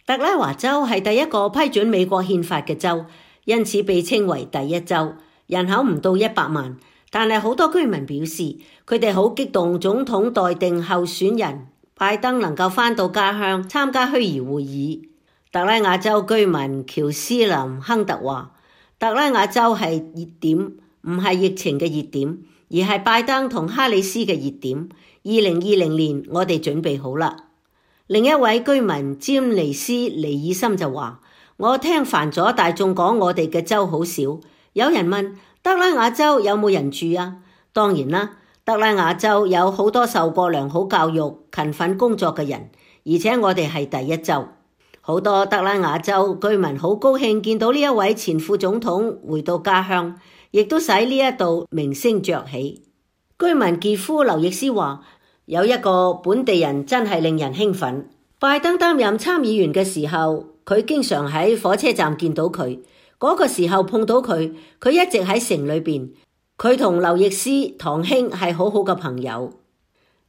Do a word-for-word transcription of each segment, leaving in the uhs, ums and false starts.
特拉華州係第一個批准美國憲法嘅州，因此被稱為第一州，人口唔到一百萬，但係好多居民表示佢哋好激動總統待定候選人拜登能夠返到家鄉參加虛擬會議。特拉瓦州居民喬斯林亨特話，特拉瓦州係熱點，唔係疫情嘅熱點，而係拜登同哈里斯嘅熱點。二零二零年我哋準備好啦。另一位居民詹尼斯尼爾森就話，我聽煩咗大眾講我哋嘅州好少。有人問特拉瓦州有冇人住啊？當然啦，特拉瓦州有好多受過良好教育、勤奮工作嘅人，而且我哋係第一州。好多特拉瓦州居民好高興見到呢一位前副總統回到家鄉，亦都使呢一度名聲鵲起。居民傑夫劉易斯話，有一個本地人真係令人興奮。拜登擔任參議員嘅時候，佢經常喺火車站見到佢。嗰個時候碰到佢，佢一直喺城裏邊。佢同劉易斯堂兄係好好嘅朋友。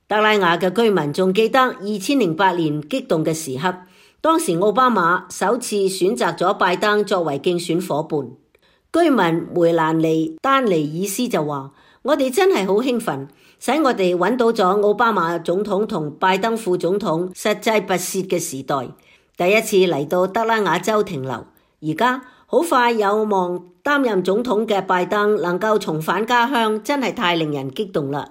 特拉瓦嘅居民仲記得二千零八年激動嘅時刻，當時奧巴馬首次選擇咗拜登作為競選夥伴。居民梅蘭尼丹尼爾斯就話，我哋真係好興奮，使我哋揾到咗奧巴馬總統同拜登副總統實際跋涉嘅時代，第一次嚟到特拉瓦州停留。而家好快有望擔任總統嘅拜登能夠重返家鄉，真係太令人激動啦。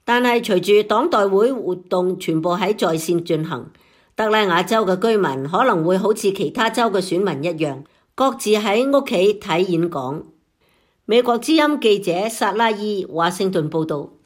但係隨住黨代會活動全部喺在線進行，特拉瓦州嘅居民可能會好似其他州嘅選民一樣，各自喺屋企睇演講。美國之音記者薩拉伊華盛頓報道。